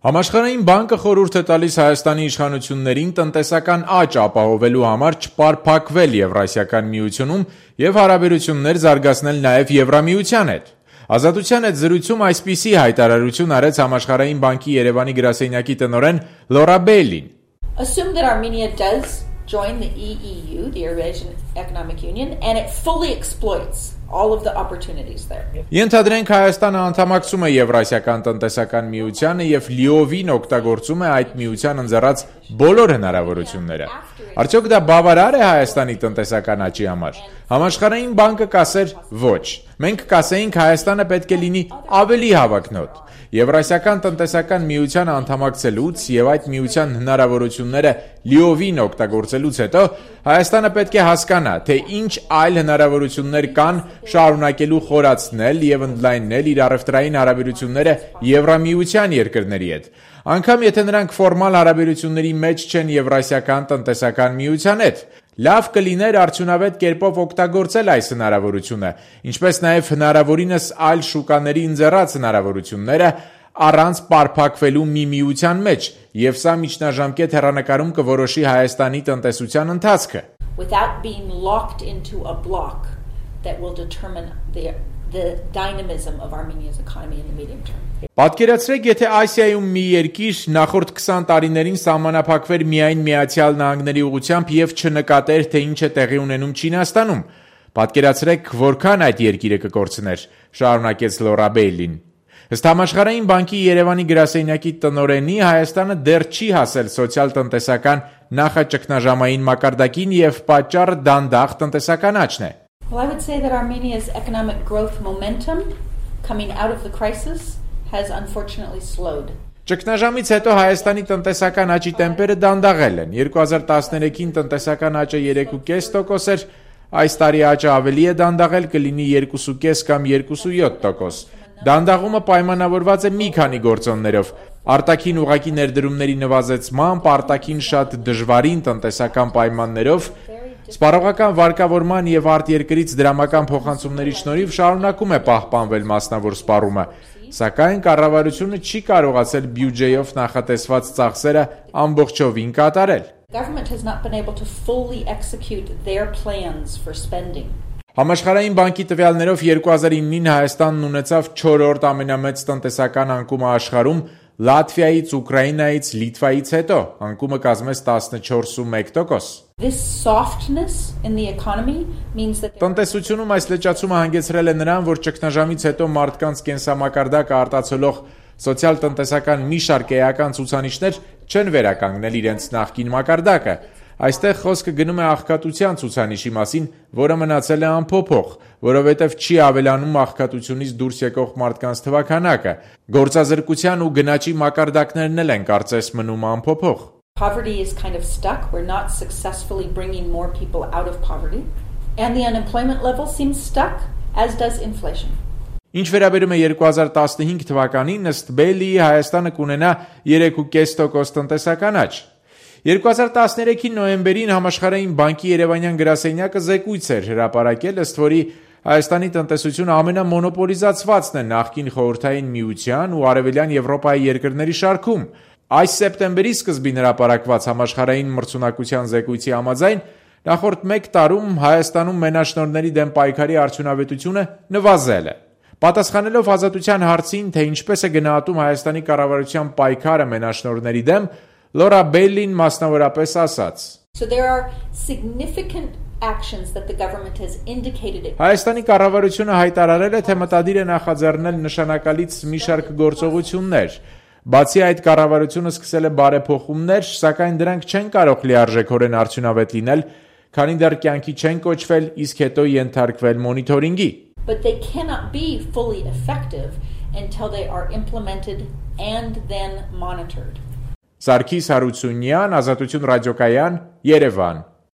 Համաշխարհային բանկը խորհուրդ է տալիս Հայաստանի իշխանություններին տնտեսական աճ ապահովելու համար չպարփակվել Եվրասիական միությունում եւ հարաբերություններ զարգացնել նաեւ Եվրամիության հետ։ Ազատության հետ զրույցում այսպիսի հայտարարություն արեց Համաշխարհային բանկի Երևանի գրասենյակի տնօրեն Լորա Բեյլին։ Assume that Armenia does join the EEU, the Eurasian Economic Union, and it fully exploits all of the opportunities there. Ենթադրենք Հայաստանը անդամակցում է Եվրասիական տնտեսական միությանը եւ լիովին օգտագործում է այդ միության ընձեռած բոլոր հնարավորությունները։ Արդյոք դա բավարար է Հայաստանի տնտեսական աճի համար։ Համաշխարհային բանկը կասեր ոչ։ Մենք կասեինք Հայաստանը պետք է լինի ավելի հավակնոտ։ Եվրասիական տնտեսական միությանը անդամակցելուց եւ այդ միության հնարավորությունները լիովին օգտագործելուց հետո Հայաստանը պետք է հասկանա, թե ինչ այլ հնարավորություններ կան շարունակելու խորացնել եւ ընդլայնել իր առևտրային հարաբերությունները Եվրամիության երկրների հետ։ Անկամ եթե նրանք ֆորմալ հարաբերությունների մեջ չեն Եվրասիական տնտեսական միության հետ, լավ կլիներ արդյունավետ կերպով օգտագործել այս հնարավորությունը, ինչպես նաև հնարավորինս այլ շուկաների ընձեռած հնարավորությունները առանց պարփակվելու մի միության մեջ, եւ սա միջնաժամկետ հեռանկարում կորոշի Հայաստանի տնտեսության ընթացքը։ Without being locked into a block that will determine the dynamism of Armenia's economy in the medium term. Պատկերացրեք, եթե Ասիայում մի երկիր նախորդ 20 տարիներին սահմանափակվեր միայն Միացյալ Նահանգների ուղղությամբ եւ չնկատեր, թե ինչ է տեղի ունենում Չինաստանում։ Պատկերացրեք, որքան այդ երկիրը կկորցներ, շարունակեց Լորա Բեյլին։ Ըստ Համաշխարհային բանկի Երևանի գրասենյակի տնօրենի, Հայաստանը դեռ չի հասել սոցիալ-տնտեսական նախաճգնաժամային մակարդակին եւ պատճառը դանդաղ տնտեսական աճն է։ Well, I would say that Armenia's economic growth momentum coming out of the crisis has unfortunately slowed. Ճգնաժամից հետո Հայաստանի տնտեսական աճի տեմպերը դանդաղել են։ 2013-ին տնտեսական աճը 3.5% էր, այս տարի աճը ավելի է դանդաղել, կլինի 2.5 կամ 2.7%։ Դանդաղումը պայմանավորված է մի քանի գործոններով՝ արտաքին ուղղակի ներդրումների նվազեցմամբ, արտաքին շատ դժվարին տնտեսական պայմաններով, սպառողական վարկավորման եւ արտերկրից դրամական փոխանցումների շնորհիվ շարունակում է պահպանվել մասնավոր սպառումը, սակայն կառավարությունը չի կարողացել բյուջեով նախատեսված ծախսերը ամբողջովին կատարել։ Government has not been able to fully execute their plans for spending. Համաշխարհային բանկի տվյալներով 2009-ին Հայաստանն ունեցավ 4-րդ ամենամեծ տնտեսական անկումը աշխարհում, Լատվիայից, Ուկրաինայից, Լիտվայից հետո, անկումը կազմեց 14.1%։ This softness in the economy means that Տնտեսությունում այս լճացումը հանգեցրել է նրան, որ ճգնաժամից հետո մարդկանց կենսամակարդակը արտացոլող սոցիալ-տնտեսական մի շարք էական ցուցանիշներ չեն վերականգնել իրենց նախկին մակարդակը։ Այստեղ խոսքը գնում է աղքատության ցուցանիշի մասին, որը մնացել է անփոփոխ, որովհետև չի ավելանում աղքատությունից դուրս եկող մարդկանց թվաքանակը։ Գործազրկության ու գնաճի մակարդակներն էլ են կարծես մնում անփոփոխ։ Poverty is kind of stuck. We're not successfully bringing more people out of poverty. And the unemployment level seems stuck, as does inflation. Ինչ վերաբերում է 2015 թվականին, ըստ Բեյլիի Հայաստանը կունենա 3.5% տնտեսական աճ։ 2013-ի նոյեմբերին Համաշխարհային բանկի Երևանյան գրասենյակը զեկույց էր հրապարակել, ըստ որի Հայաստանի տնտեսությունը ամենամոնոպոլիզացվածն է նախկին խորհրդային միության ու արևելյան Եվրոպայի երկրների շարքում։ Այս սեպտեմբերի սկզբին հրապարակված համաշխարհային մրցունակության զեկույցի համաձայն նախորդ 1 տարում Հայաստանում մենաշնորհների դեմ պայքարի արդյունավետությունը նվազել է։ Պատասխանելով ազատության հարցին, թե ինչպես է գնահատում Հայաստանի կառավարության պայքարը մենաշնորհների դեմ, Լորա Բեյլին մասնավորապես ասաց. So there are significant actions that the government has indicated it. Հայաստանի կառավարությունը հայտարարել է, թե մտադիր է նախաձեռնել նշանակալից մի շարք գործողություններ։ Բացի այդ, կառավարությունը սկսել է բարեփոխումներ, սակայն դրանք չեն կարող լիարժեքորեն արդյունավետ լինել, քանի դեռ կյանքի չեն կոչվել, իսկ հետո ենթարկվել մոնիթորինգի։ But they cannot be fully effective until they are implemented and then monitored. Սարգիս Հարությունյան, Ազատություն ռադիոկայան, Երևան։